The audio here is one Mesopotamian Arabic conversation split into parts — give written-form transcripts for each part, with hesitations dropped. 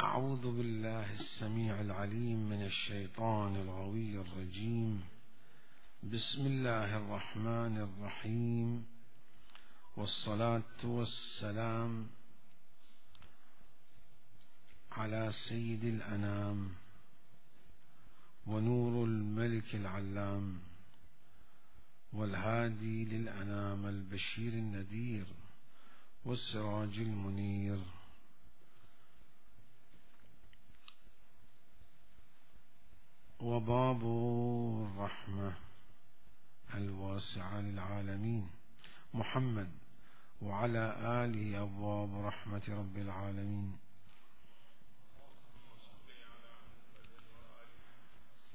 أعوذ بالله السميع العليم من الشيطان الغوي الرجيم. بسم الله الرحمن الرحيم، والصلاة والسلام على سيد الأنام ونور الملك العلام والهادي للأنام البشير النذير والسراج المنير، وباب الرحمة الواسعة للعالمين محمد وعلى آله أبواب رحمة رب العالمين،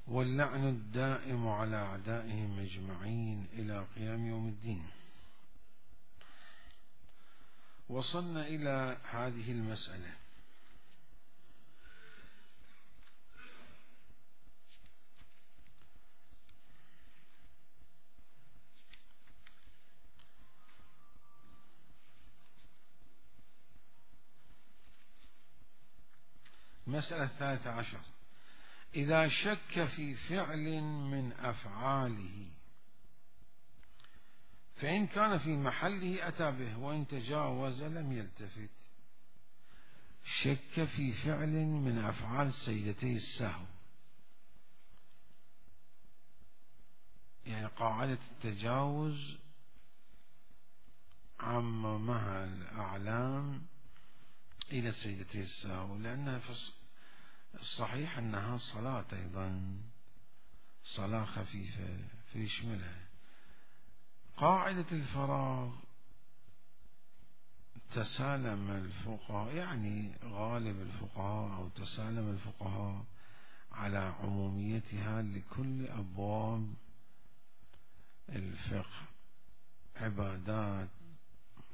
واللعن الدائم على أعدائهم أجمعين إلى قيام يوم الدين. وصلنا إلى هذه المسألة: مسألة 13: إذا شك في فعل من أفعاله فإن كان في محله أتى به، وإن تجاوز لم يلتفت. شك في فعل من أفعال سجدتي السهو، يعني قاعدة التجاوز عممها الأعلام إلى سجدتي السهو، لأنها في الصحيح أنها صلاة أيضا، صلاة خفيفة فيشملها. قاعدة الفراغ تسالم الفقهاء، يعني غالب الفقهاء أو تسالم الفقهاء على عموميتها لكل أبواب الفقه: عبادات،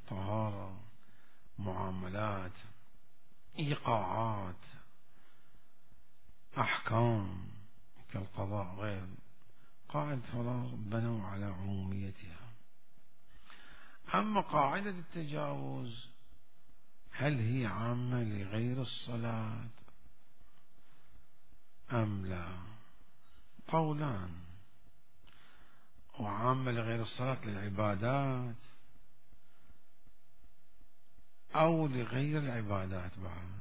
طهارة، معاملات، إيقاعات، أحكام كالقضاء غير. قاعدة فراغ بنوا على عموميتها. أما قاعدة التجاوز هل هي عامة لغير الصلاة أم لا؟ قولان: وعامة لغير الصلاة للعبادات أو لغير العبادات بعد.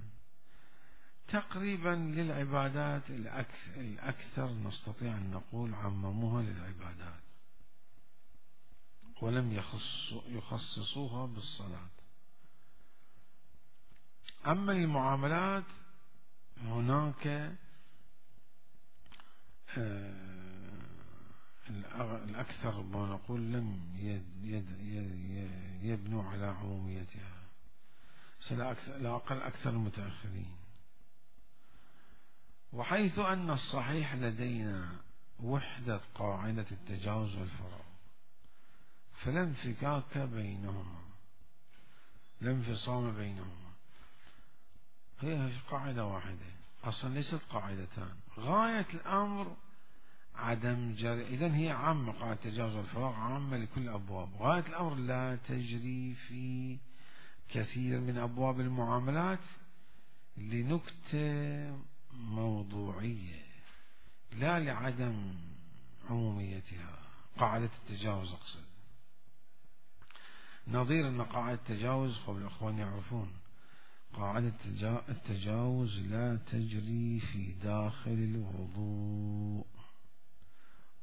تقريبا للعبادات الأكثر نستطيع أن نقول عمموها للعبادات ولم يخصصوها بالصلاة. أما المعاملات هناك الأكثر ما نقول لم يبنوا على عموميتها، لا أقل أكثر المتأخرين. وحيث أن الصحيح لدينا وحدة قاعدة التجاوز والفراغ، فلا انفكاك بينهما، لا انفصام بينهما، هي قاعدة واحدة أصلا، ليست قاعدتان. غاية الأمر عدم جري، إذن هي عامة، قاعدة التجاوز والفراغ عامة لكل الأبواب. غاية الأمر لا تجري في كثير من أبواب المعاملات لنكتة موضوعية، لا لعدم عموميتها. قاعدة التجاوز أقصد، نظير أن قاعدة التجاوز قبل الأخوان يعرفون قاعدة التجاوز لا تجري في داخل الوضوء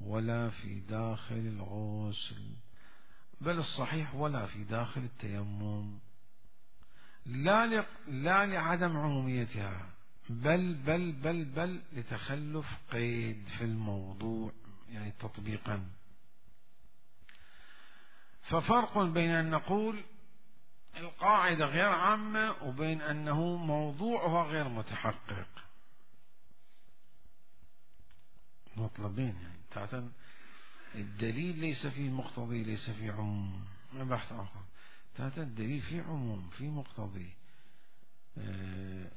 ولا في داخل الغسل، بل الصحيح ولا في داخل التيمم، لا لعدم عموميتها، بل لتخلف قيد في الموضوع، يعني تطبيقا. ففرق بين أن نقول القاعدة غير عامة وبين أنه موضوعها غير متحقق. مطلبين، يعني الدليل ليس فيه مقتضي، ليس فيه عموم، بحث آخر. الدليل فيه عموم، فيه مقتضي،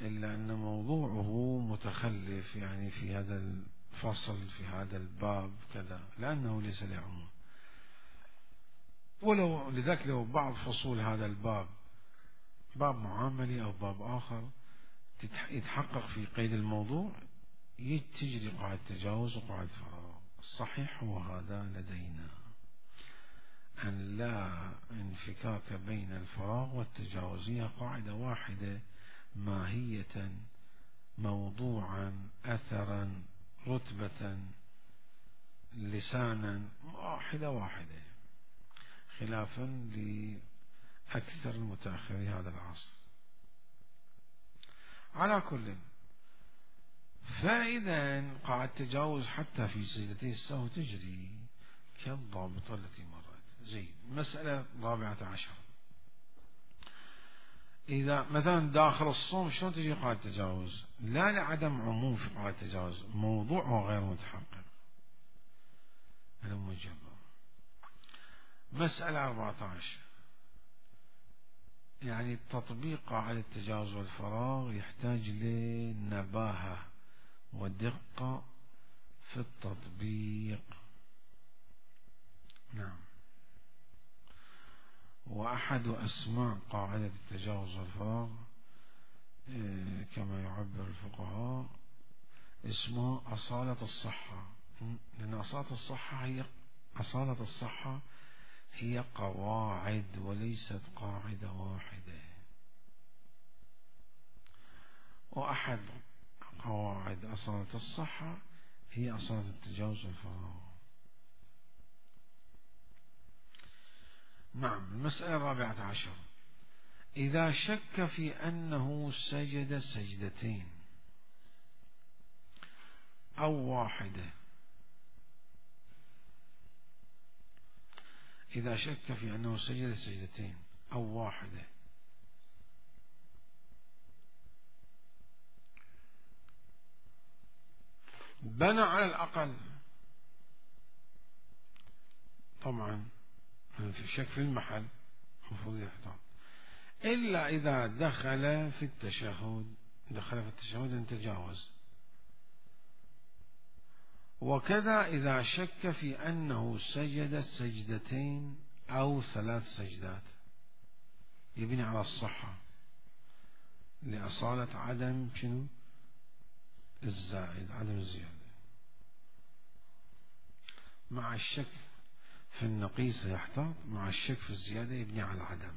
إلا أن موضوعه متخلف، يعني في هذا الفصل، في هذا الباب كذا، لأنه ليس له عموم. ولو لذلك لو بعض فصول هذا الباب باب معاملي أو باب آخر يتحقق في قيد الموضوع تجري قاعدة تجاوز وقاعدة فراغ. الصحيح هو هذا لدينا، أن لا انفكاك بين الفراغ والتجاوز، هي قاعدة واحدة ماهية موضوعا أثرا رتبة لسانا، واحدة خلافا لأكثر المتأخرين هذا العصر. على كل، فإذا قاعدة التجاوز حتى في سجدتي السهو تجري كالضابطة التي مرت. زين. مسألة 14، إذا مثلا داخل الصوم شلون تجي قاعدة التجاوز؟ لا لعدم عموم في قاعدة التجاوز، موضوعه غير متحقق. المجرد. مسألة 14، يعني تطبيق قاعدة التجاوز والفراغ يحتاج لنباهة ودقة في التطبيق. نعم. وأحد أسماء قاعدة التجاوز والفراغ كما يعبر الفقهاء اسمها أصالة الصحة، لأن أصالة الصحة هي قواعد وليست قاعدة واحدة، وأحد قواعد أصالة الصحة هي أصالة التجاوز والفراغ. نعم. المسألة 14، إذا شك في أنه سجد سجدتين أو واحدة، إذا شك في أنه سجد سجدتين أو واحدة، بنى على الأقل، طبعا في شك في المحل المفروض يحتاط، إلا إذا دخل في التشهد أن تجاوز، وكذا إذا شك في أنه سجد سجدتين أو 3 سجدات، يبني على الصحة لأصالة عدم الزائد، عدم الزيادة. مع الشك في النقيصة يحتاط، مع الشك في الزيادة يبني على العدم.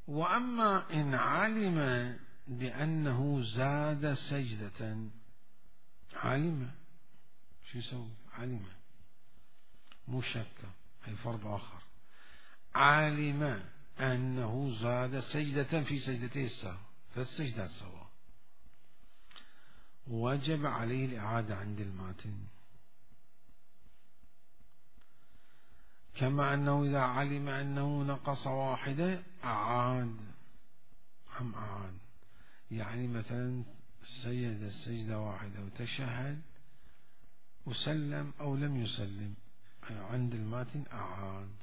وأما إن علم بأنه زاد سجدة، علم شو يسوي؟ علم، مو شك، هي فرض آخر. علم أنه زاد سجدة في سجدتي السهو، 3 سجدات سوا، وجب عليه الإعادة عند الماتن. كما أنه إذا علم أنه نقص واحدة أعاد. يعني مثلا سجد السجدة واحدة وتشهد وسلم أو لم يسلم، عند الماتن أعاد،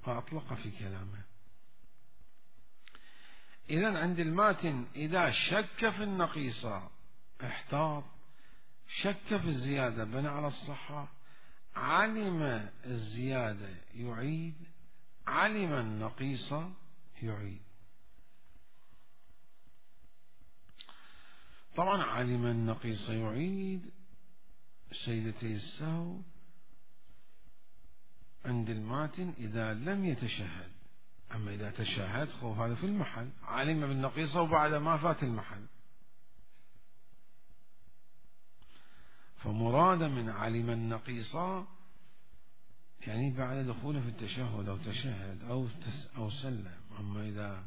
وأطلق في كلامه. إذن عند الماتن إذا شك في النقيصة احتاط، شك في الزيادة بنى على الصحة، علم الزيادة يعيد، علم النقيصة يعيد. طبعا علم النقيصة يعيد سجدتي السهو عند الماتن إذا لم يتشهد. أما إذا تشهد خوف هذا في المحل، علم بالنقيصة وبعد ما فات المحل. فمراد من علم النقيصة يعني بعد دخوله في التشهد أو تشهد أو سلم. أما إذا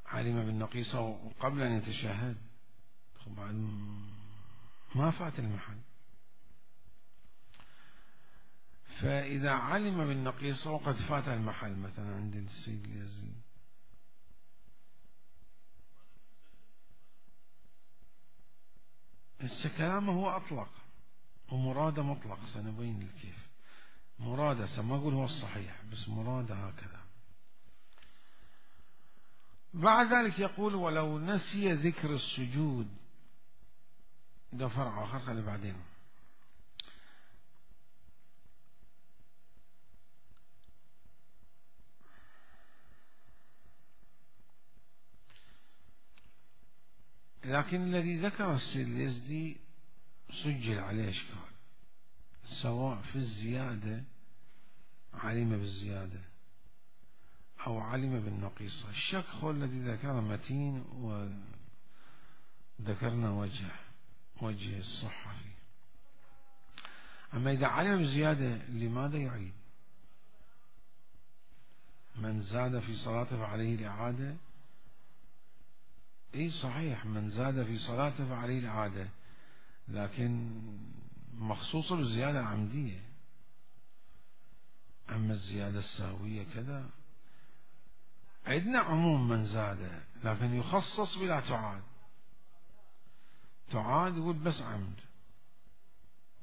علم بالنقيصة وقبل أن يتشهد طبعا ما فات المحل. فإذا علم بالنقيصة وقد فات المحل، مثلا عند السيد اليزيد، كلامه هو أطلق ومراده مطلق، سنبين لك كيف مراده، ما أقول هو الصحيح بس مراده هكذا. بعد ذلك يقول ولو نسي ذكر السجود، ده فرع آخر خلي بعدين. لكن الذي ذكر السيد اليزدي سجل عليه إشكال، سواء في الزيادة علم بالزيادة أو علم بالنقيصة. الشك هو الذي ذكر متين، وذكرنا وجه الصحة فيه. أما إذا علم بالزيادة لماذا يعيد؟ من زاد في صلاته فعليه الإعادة. إيه صحيح، من زاد في صلاته فعليه الإعادة، لكن مخصوصة بالزيادة العمدية. أما الزيادة السهوية كذا عندنا عموم من زاد، لكن يخصص بلا تعاد. تعاد يقول بس عمد،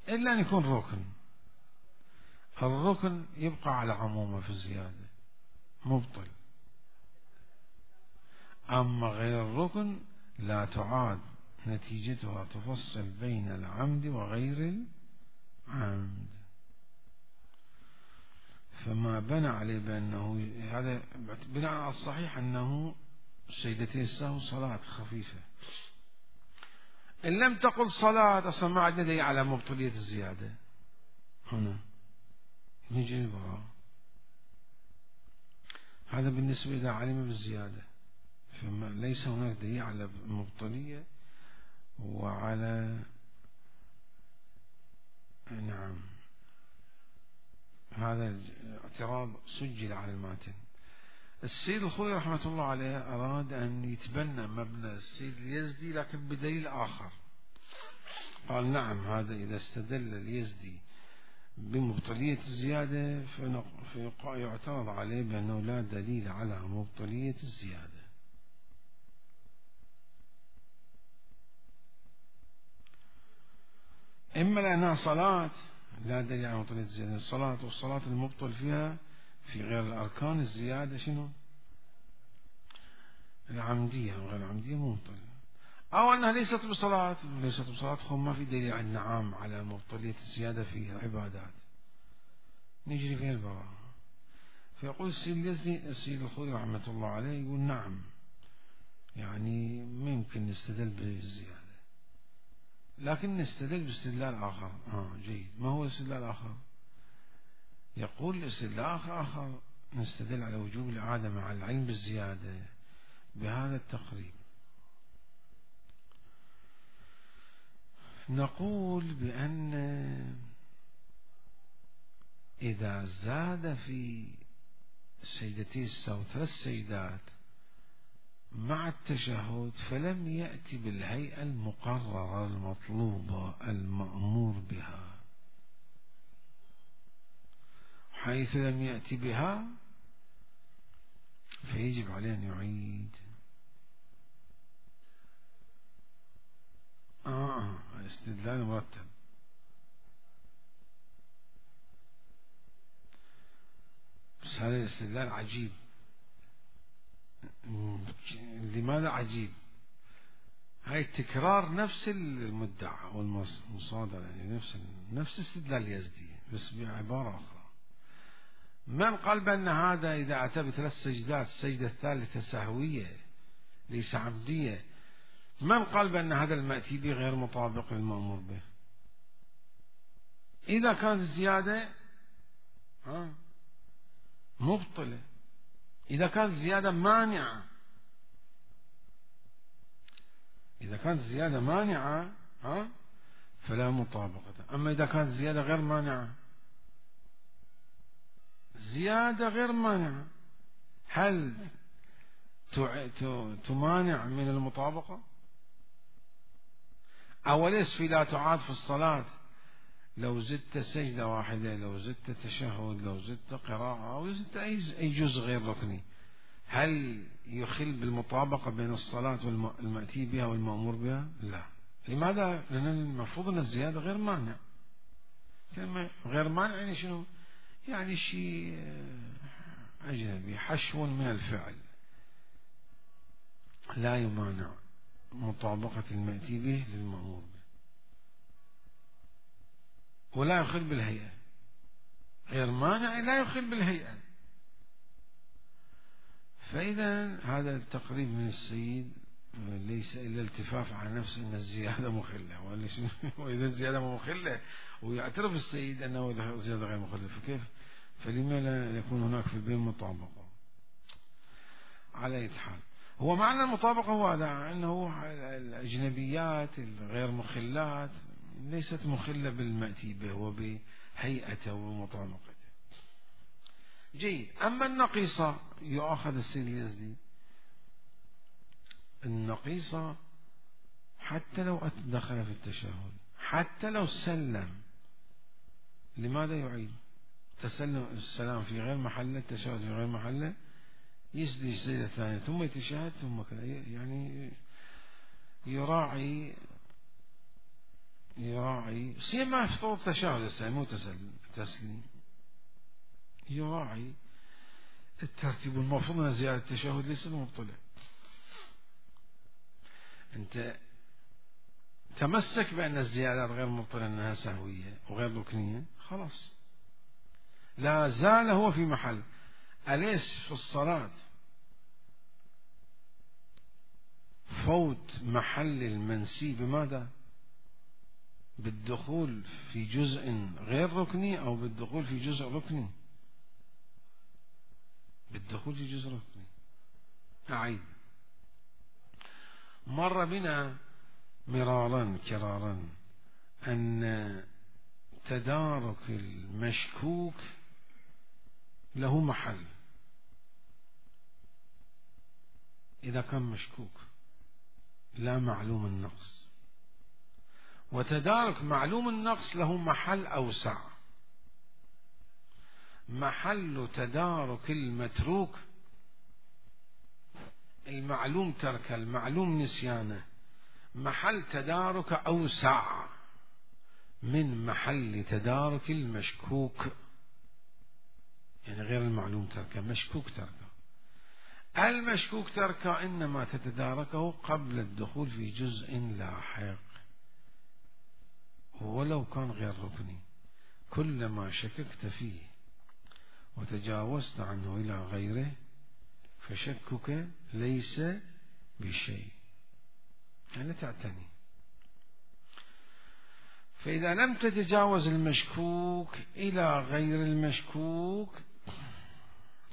إلا أن يكون ركن. الركن يبقى على عمومه في الزيادة مبطل. أما غير الركن لا تعاد، نتيجتها تفصل بين العمد وغير العمد. فما بنى عليه بأنه هذا بناء على الصحيح أنه سجدتي السهو صلاة خفيفة. إن لم تقل صلاة أصلا ما عندنا دليل على مبطلية الزيادة. هنا نجي البراء. هذا بالنسبة إلى علم بالزيادة، فليس هناك دليل على المبطلية وعلى نعم. هذا اعتراض سجل على الماتن. السيد الخوي رحمة الله عليه أراد أن يتبنى مبنى السيد اليزدي لكن بدليل آخر. قال نعم، هذا إذا استدل اليزدي بمبطلية الزيادة فيعترض عليه بأنه لا دليل على مبطلية الزيادة. إما لأنها صلاة لا دليل على مبطلية الزيادة، الصلاة والصلاة المبطل فيها في غير الأركان الزيادة شنو؟ العمدية، وغير العمدية مبطل. أو أنها ليست بصلاة، ليست بصلاة هم ما في دليل عن نعم على مبطلية الزيادة في العبادات نجري فيها البراءة. فيقول السيد الخوي رحمة الله عليه يقول نعم، يعني ممكن نستدل بالزيادة لكن نستدل باستدلال آخر. جيد، ما هو الاستدلال الآخر؟ يقول الاستدلال آخر نستدل على وجوب الإعادة مع العلم بالزيادة بهذا التقريب. نقول بأن إذا زاد في سجدتي السهو 3 سجدات مع التشهد فلم يأتي بالهيئة المقررة المطلوبة المأمور بها، حيث لم يأتي بها فيجب عليه أن يعيد. استدلال مرتب. بس هذا الاستدلال عجيب. لماذا عجيب؟ هاي تكرار نفس المدعى والمصادرة، يعني نفس استدلال يزدي بس بعبارة أخرى. من قال بأن هذا إذا أتى ب3 سجدات السجدة الثالثة سهوية ليس عمدية، من قال بأن هذا المأتي به غير مطابق للمأمور به؟ إذا كانت الزيادة مبطلة، إذا كانت الزيادة مانعة، إذا كانت الزيادة مانعة فلا مطابقة. أما إذا كانت الزيادة غير مانعة، زيادة غير مانعة، هل تمانع من المطابقة؟ أوليس في لا تعاد في الصلاة لو زدت سجدة واحدة، لو زدت تشهد، لو زدت قراءة، أو زدت أي جزء غير ركني، هل يخل بالمطابقة بين الصلاة والمأتي بها والمأمور بها؟ لا. لماذا؟ لأن المفروض أن الزيادة غير مانع. كلمة غير مانع يعني شنو؟ يعني شيء أجنبي، حشو من الفعل لا يمانع مطابقة المأتي به للمأمور به، ولا يخل بالهيئة. غير مانع لا يخل بالهيئة. فإذا هذا التقريب من السيد ليس إلا التفاف على نفسه أن الزيادة مخلة، وإذا الزيادة مخلة ويعترف السيد أنه الزيادة غير مخلة، فكيف؟ فلما لا يكون هناك في البين مطابقة؟ على أي حال، هو معنى المطابقة هو هذا، أنه الأجنبيات الغير مخلات ليست مخلة بالمأتي به وبهيئته ومطابقته. جيد. أما النقيصة يؤخذ السيد اليزدي، النقيصة حتى لو دخل في التشهد، حتى لو سلم، لماذا يعيد؟ تسلم السلام في غير محله، التشهد في غير محله، يسجد السجدة الثانية ثم يتشهد ثم كذا، يعني يراعي سيما في طور التشهد الثاني مو تسليم، يراعي الترتيب. المفروض أن زيادة التشهد ليس مبطلة. أنت تمسك بأن الزيادات غير مبطلة، أنها سهوية وغير ركنية، خلاص لا زال هو في محل. أليس في الصلاة فوت محل المنسي بماذا؟ بالدخول في جزء غير ركني أو بالدخول في جزء ركني؟ بالدخول في جزء ركني. أعيد، مر بنا مرارا كرارا أن تدارك المشكوك له محل إذا كان مشكوك لا معلوم النقص، وتدارك معلوم النقص له محل أوسع، محل تدارك المتروك المعلوم ترك المعلوم نسيانه، محل تدارك أوسع من محل تدارك المشكوك، يعني غير المعلوم تركه، مشكوك تركه. المشكوك تركه إنما تتداركه قبل الدخول في جزء لاحق ولو كان غير ركني. كلما شككت فيه وتجاوزت عنه إلى غيره فشكك ليس بشيء، يعني تعتني. فإذا لم تتجاوز المشكوك إلى غير المشكوك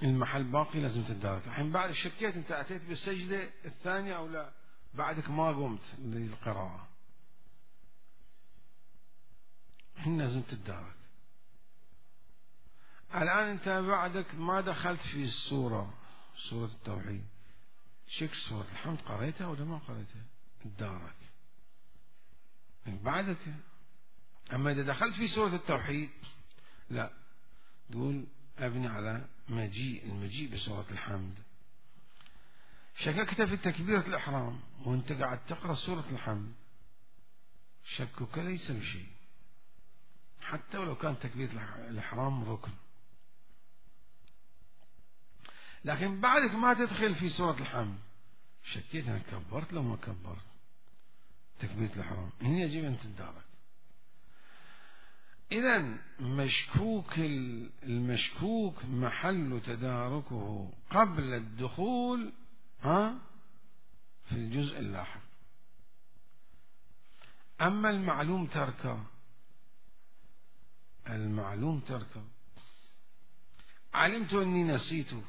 المحل باقي، لازم تتدارك. الحين بعد شكيت أنت أتيت بالسجدة الثانية أو لا، بعدك ما قمت للقراءة، الحين لازم تتدارك. الآن أنت بعدك ما دخلت في السورة، سورة التوحيد، شك سورة الحمد قريتها ولا ما قريتها؟ تدارك بعدك. أما إذا دخلت في سورة التوحيد لا، تقول أبني على المجيء بسورة الحمد. شككت في تكبيرة الإحرام وأنت قاعد تقرأ سورة الحمد، شكك ليس بشيء حتى ولو كان تكبيرة الإحرام ركن. لكن بعدك ما تدخل في سورة الحمد، شكيت أنا كبرت لو ما كبرت تكبيرة الإحرام، هنا يجب أن تتدارك. إذن المشكوك محل تداركه قبل الدخول في الجزء اللاحق. أما المعلوم تركه علمت أني نسيته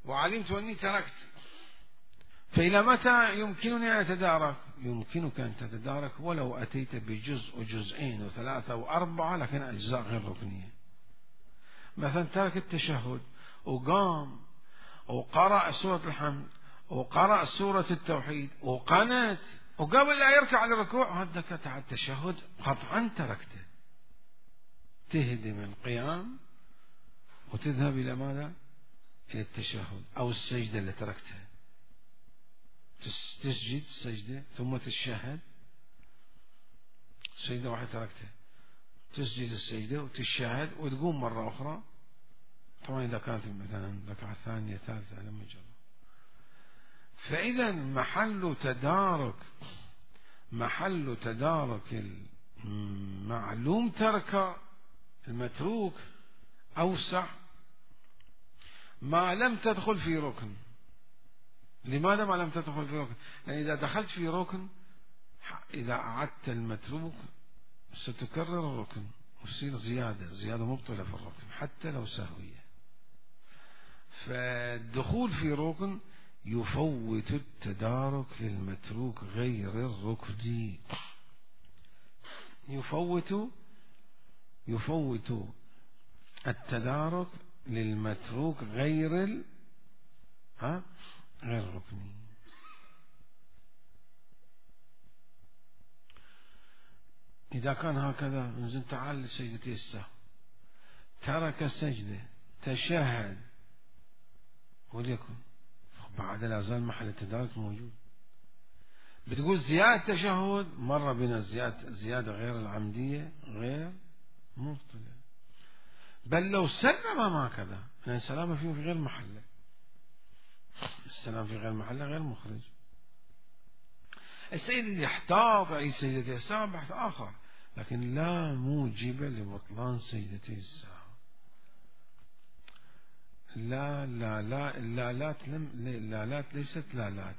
وعلمت أني تركت، فإلى متى يمكنني أن أتدارك؟ يمكنك أن تتدارك ولو أتيت بجزء وجزئين وثلاثة وأربعة، لكن أجزاء غير ركنية. مثلا ترك التشهد وقام وقرأ سورة الحمد وقرأ سورة التوحيد وقنت وقبل لا يركع على الركوع هذا قطع التشهد، قطعا تركته. تهدم القيام وتذهب إلى ماذا؟ إلى التشهد أو السجدة اللي تركتها، تسجد السجدة ثم تتشهد، سجدة واحدة تركتها، تسجد السجدة وتتشهد وتقوم مرة أخرى. طبعا إذا كانت مثلا ركعة ثانية ثالثة لما جرى. فإذا محل تدارك المعلوم ترك المتروك أوسع ما لم تدخل في ركن، لماذا ما لم تدخل في ركن؟ لأن إذا دخلت في ركن إذا أعدت المتروك ستكرر الركن وتصير زيادة مبطلة في الركن حتى لو سهوية. فالدخول في ركن يفوت التدارك للمتروك غير الركني، يفوت التدارك للمتروك غير الركني. إذا كان هكذا نزل تعال لسجدتي السهو، ترك السجدة، تشهد، وليكن بعد لا زال محل التدارك موجود. بتقول زيادة تشهد مرة بنا زيادة غير العمدية غير مبطلة، بل لو سلم ما كذا، لأن السلام فيه في غير محله، السلام في غير محله غير مخرج. السيد يحتاط أي سجدتي السهو بحث آخر، لكن لا موجب لبطلان سجدتي السهو. اللالات ليست لالات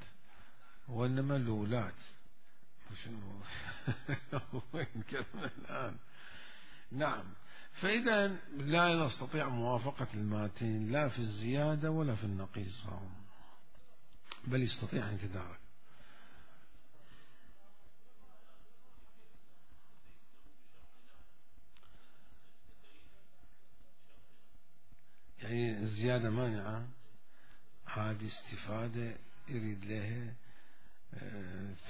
وإنما لولات. وين كلمة الآن؟ نعم. فإذا لا نستطيع موافقة الماتين لا في الزيادة ولا في النقيصة، بل يستطيع أن يتدارك. يعني الزيادة مانعة، هذه استفادة يريد لها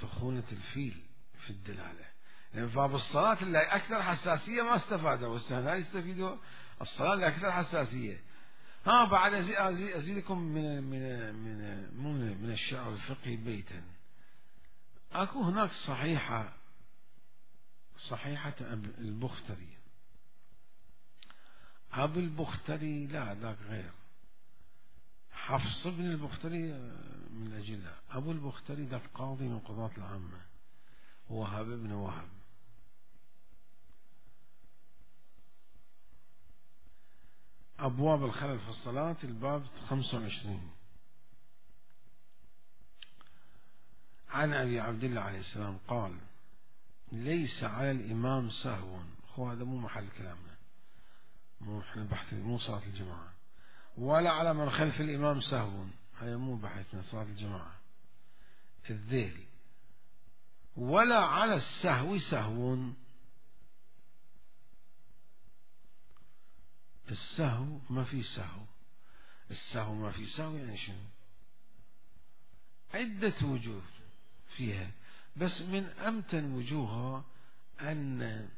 ثخونة الفيل في الدلالة. يعني باب الصلاة اللي أكثر حساسية ما استفادوا، والسهل يستفيدوا الصلاة اللي أكثر حساسية. بعد أزيدكم من الشعر الفقهي بيتا. أكو هناك صحيحة البختري. أبو البختري لا ذاك غير حفص بن البختري من أجلها. أبو البختري ذاك قاضي من قضاة العامة، وهب بن وهب. أبواب الخلل في الصلاة الباب 25. عن أبي عبد الله عليه السلام قال: ليس على الإمام سهو. هذا مو محل كلامنا، مو احنا بحث، مو صلاة الجماعة. ولا على من خلف الإمام سهو، هذا مو بحثنا صلاة الجماعة الذيل. ولا على السهو سهو. السهو ما في سهو، السهو ما في سهو يعني شنو؟ عدة وجوه فيها، بس من أمتن وجوهها أن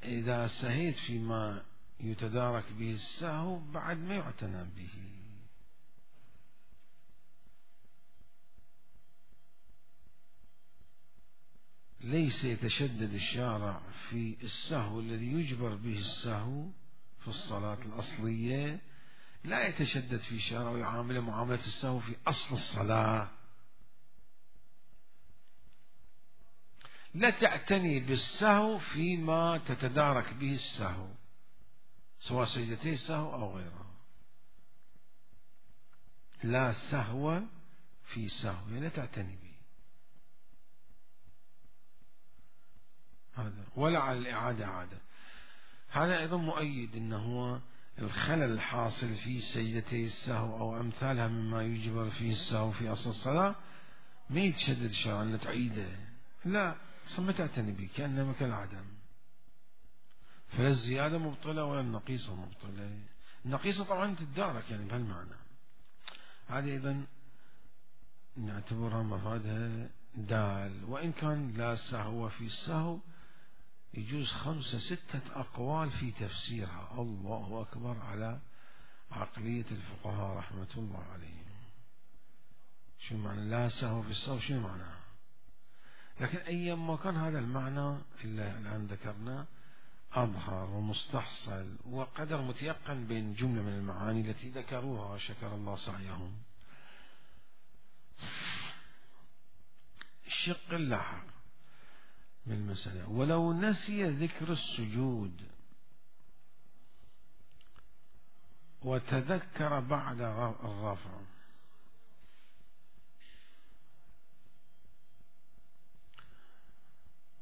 إذا سهيت فيما يتدارك به السهو بعد ما يعتنى به. ليس يتشدد الشارع في السهو الذي يجبر به السهو في الصلاة الأصلية، لا يتشدد في الشارع ويعامل معاملة السهو في أصل الصلاة. لا تعتني بالسهو فيما تتدارك به السهو، سواء سجدتي السهو أو غيرها. لا سهو في سهو، لا تعتني به هذا. ولا على الإعادة عادة. هذا أيضا مؤيد أنه الخلل الحاصل في سجدتي السهو أو أمثالها مما يجبر فيه السهو في أصل الصلاة ما يتشدد الشرع أن تعيده، لا ما تعتني به كأنما كالعدم. فلا الزيادة مبطلة ولا النقيصة مبطلة. النقيصة طبعا تتدارك يعني بهالمعنى. هذه أيضا نعتبرها مفادها دال، وإن كان لا سهو في السهو يجوز 5-6 أقوال في تفسيرها. الله أكبر على عقلية الفقهاء رحمة الله عليهم. شو معنى لا سهو في السهو؟ شو معناها؟ لكن أيما كان هذا المعنى اللي الآن ذكرناه أظهر ومستحصل وقدر متيقن بين جملة من المعاني التي ذكروها شكر الله سعيهم. الشق اللاحق من المسألة: ولو نسي ذكر السجود وتذكر بعد الرفع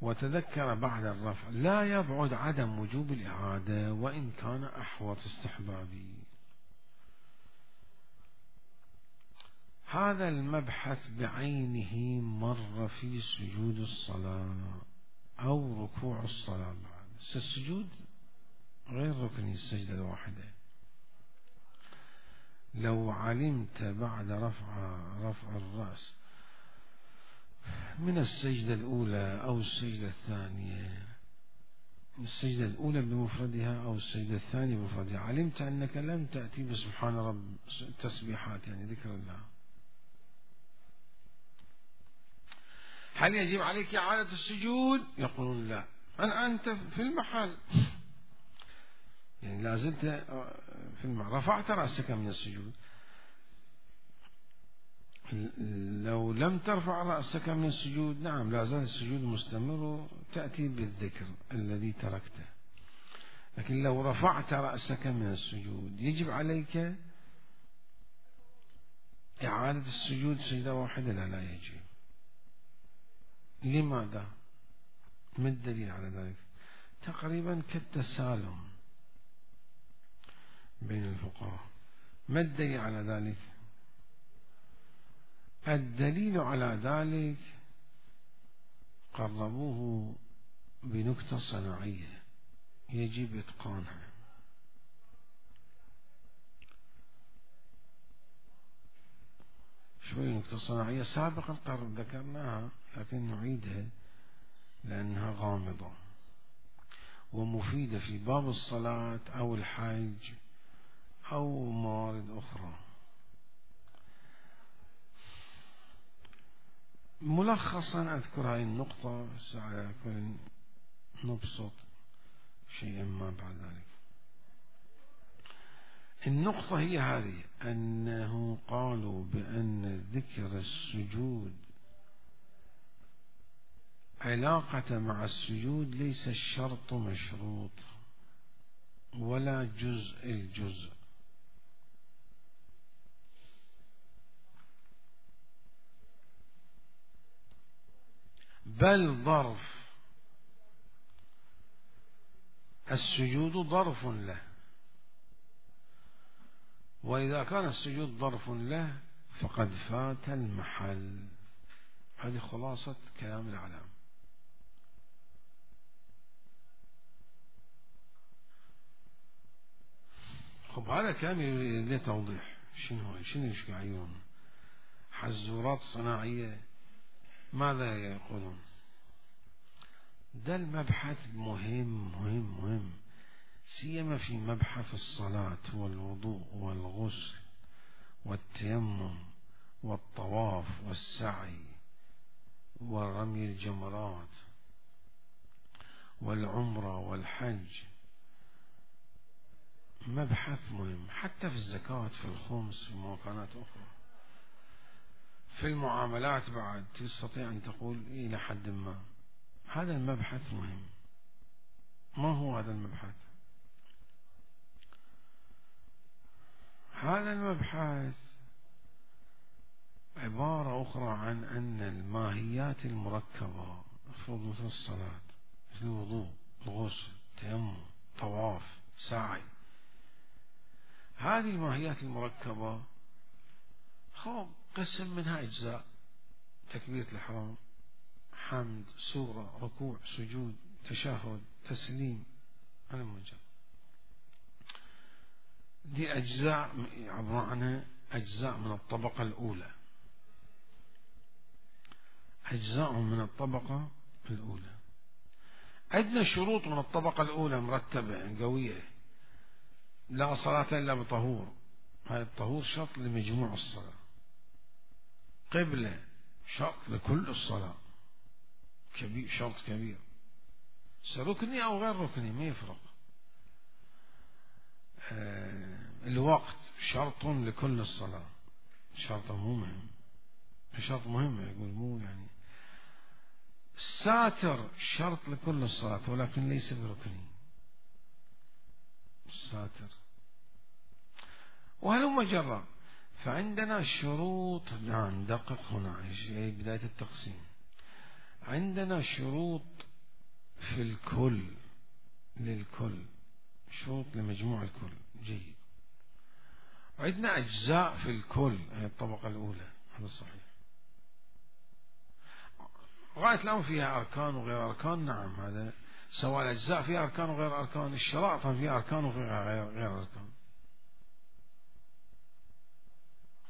وتذكر بعد الرفع لا يبعد عدم وجوب الإعادة وإن كان أحوط استحبابي. هذا المبحث بعينه مر في سجود الصلاة أو ركوع الصلاة. السجود غير ركني، السجدة الواحدة. لو علمت بعد رفع الرأس من السجدة الأولى أو السجدة الثانية، السجدة الأولى بمفردها أو السجدة الثانية بمفردها، علمت أنك لم تأتي بسبحان رب تسبيحات يعني ذكر الله، هل يجب عليك إعادة السجود؟ يقولون لا، أنت في المحل يعني لازلت في المحل، رفعت رأسك من السجود. لو لم ترفع رأسك من السجود نعم لا زال السجود مستمر، تأتي بالذكر الذي تركته. لكن لو رفعت رأسك من السجود يجب عليك إعادة السجود سجدة واحدة؟ لا يجب. لماذا؟ ما الدليل على ذلك؟ تقريبا كالتسالم بين الفقهاء. ما الدليل على ذلك؟ الدليل على ذلك قربوه بنكتة صناعية يجب إتقانها. شوي نكتة صناعية سابقا ذكرناها لكن نعيدها لأنها غامضة ومفيدة في باب الصلاة أو الحج أو موارد أخرى. ملخصا أذكر هذه النقطة، سأكون نبسط شيئا ما بعد ذلك. النقطة هي هذه، أنه قالوا بأن ذكر السجود علاقة مع السجود ليس الشرط مشروط ولا جزء الجزء، بل ظرف السجود ظرف له، وإذا كان السجود ظرف له فقد فات المحل. هذه خلاصة كلام العلام. خب هذا كلام يريد توضيح. شنو ايش قاعدين حزورات صناعية؟ ماذا يقولون؟ ده المبحث مهم سيما في مبحث الصلاة والوضوء والغسل والتيمم والطواف والسعي ورمي الجمرات والعمرة والحج. مبحث مهم حتى في الزكاة، في الخمس، في مكانات أخرى، في المعاملات بعد تستطيع أن تقول إلى حد ما. هذا المبحث مهم. ما هو هذا المبحث؟ هذا المبحث عبارة أخرى عن أن الماهيات المركبة مثل الصلاة، مثل الوضوء، الغسل، التيمم، طواف، سعي، هذه الماهيات المركبة قسم منها أجزاء: تكبيرة الإحرام، حمد، سورة، ركوع، سجود، تشهد، تسليم. هذا موجب. دي أجزاء عبارة عنها أجزاء من الطبقة الأولى، أجزاء من الطبقة الأولى. عندنا شروط من الطبقة الأولى مرتبة قوية: لا صلاة إلا بطهور، هذا الطهور شرط لمجموع الصلاة. قبلة شرط لكل الصلاة، كبير، شرط كبير، ركني أو غير ركني ما يفرق. الوقت شرط لكل الصلاة، شرط مهم، شرط مهم يقول مو يعني. الساتر شرط لكل الصلاة ولكن ليس بركني، الساتر. وهلم جرى. فعندنا شروط، ندقق هنا بداية التقسيم. عندنا شروط في الكل للكل، شروط لمجموع الكل. جيد. عندنا أجزاء في الكل، هي الطبقة الأولى، هذا صحيح. غاية الأمر فيها أركان وغير أركان، نعم، هذا سواء الأجزاء فيها أركان وغير أركان، الشرائط فيها أركان وغير أركان.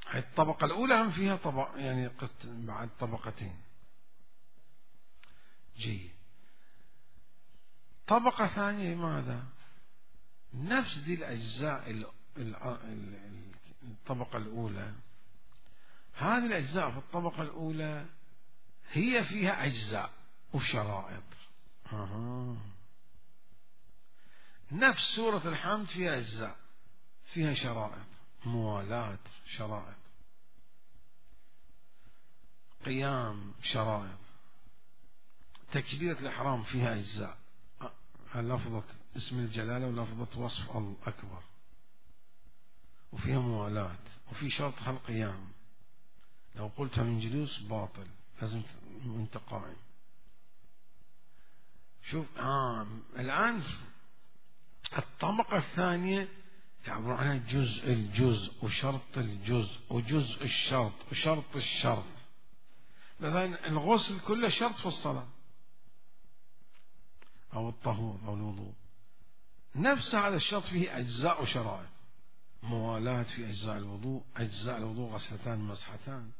هي الطبقة الأولى هم فيها يعني بعد طبقتين. جيد. طبقة ثانية ماذا؟ نفس دي الأجزاء الطبقة الأولى، هذه الأجزاء في الطبقة الأولى هي فيها أجزاء وشرائط. نفس سورة الحمد فيها أجزاء، فيها شرائط، موالاة شرائط، قيام شرائط، تكبيرة الإحرام فيها أجزاء، لفظة اسم الجلالة ولفظة وصف الأكبر، وفيها موالاة، وفي شرط القيام، لو قلت من جلوس باطل، لازم أنت قائم. شوف الآن الطبقة الثانية يعبر عنها جزء الجزء وشرط الجزء وجزء الشرط وشرط الشرط. مثلا الغسل كله شرط في الصلاة أو الطهور أو الوضوء، نفس هذا الشرط فيه أجزاء وشرائط. موالاة في أجزاء الوضوء، أجزاء الوضوء غسلتان مسحتان،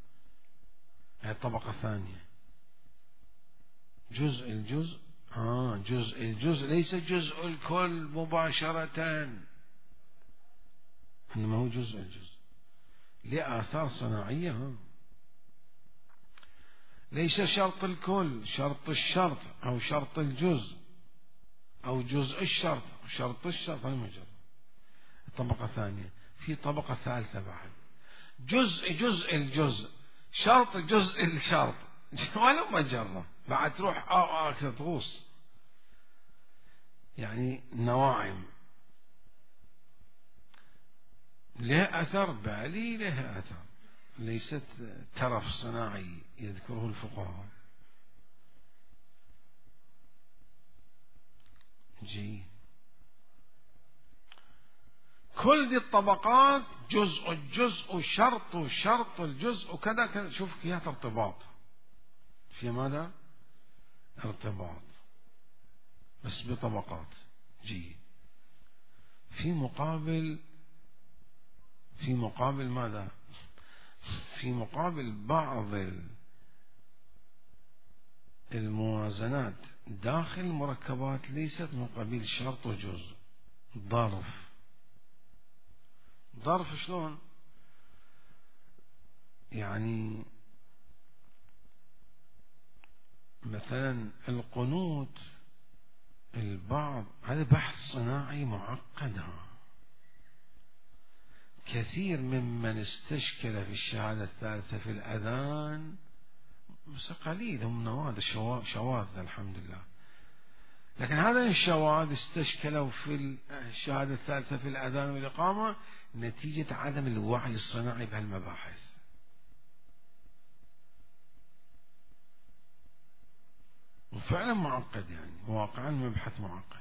هي الطبقة الثانية. جزء الجزء، جزء الجزء ليس جزء الكل مباشرة، إنما هو جزء الجزء لآثار صناعية. ليس شرط الكل، شرط الشرط أو شرط الجزء أو جزء الشرط شرط الشرط، هذا مجرد. الطبقة الثانية. في طبقة ثالثة بعد، جزء الجزء، شرط جزء الشرط، ولا مجرة بعد تروح تغوص، يعني نواعم لها أثر بالي، لها أثر، ليست ترف صناعي يذكره الفقهاء. كل دي الطبقات جزء الجزء وشرط وشرط الجزء وكذا كذا. شوف فيها ارتباط، في ماذا؟ ارتباط، بس بطبقات. في مقابل ماذا؟ في مقابل بعض الموازنات داخل المركبات ليست من قبيل شرط وجزء. ظرف شلون؟ يعني مثلا القنوت، البعض، هذا بحث صناعي معقد. كثير ممن استشكل في الشهادة الثالثة في الأذان، بس قليل، هم نوادر شواذ الحمد لله، لكن هذا الشواذ استشكلوا في الشهادة الثالثة في الأذان والإقامة نتيجة عدم الوعي الصناعي بهالمباحث. وفعلا معقد، يعني واقعا مبحث معقد.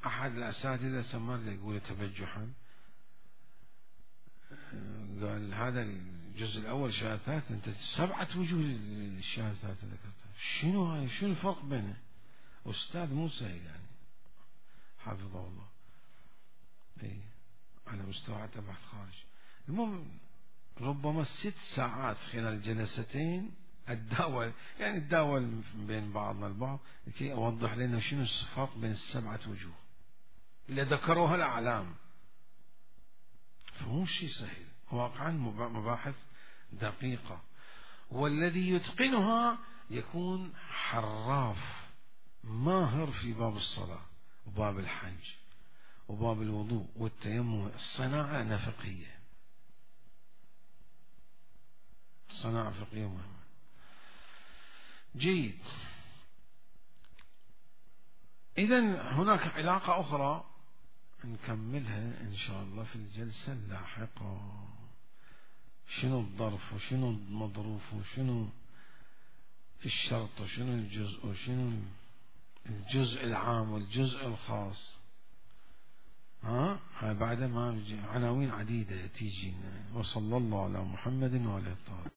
أحد الأساتذة سمر يقول تبجحا، قال هذا الجزء الأول الشهادة الثالثة، أنت 7 وجوه الشهادة الثالثة ذكرتها، شنو الفرق بينه؟ أستاذ مو سهل يعني، حفظه الله، على مستوى بحث خارج. المهم ربما 6 ساعات خلال جلستين الداول بين بعضنا البعض لكي أوضح لنا شنو الفرق بين 7 وجوه اللي ذكروها الأعلام. فمو شيء سهل، واقعا مباحث دقيقة، والذي يتقنها يكون حراف ماهر في باب الصلاة وباب الحج وباب الوضوء والتيمم. الصناعة فقهية، صناعة فقهية مهمة. جيد. إذن هناك علاقة أخرى نكملها إن شاء الله في الجلسة اللاحقة. شنو الظرف وشنو المظروف وشنو الشرط وشنو الجزء وشنو الجزء العام والجزء الخاص. هاي بعد ما عناوين عديدة تيجينا. وصلى الله على محمد وعلى الطاهرين.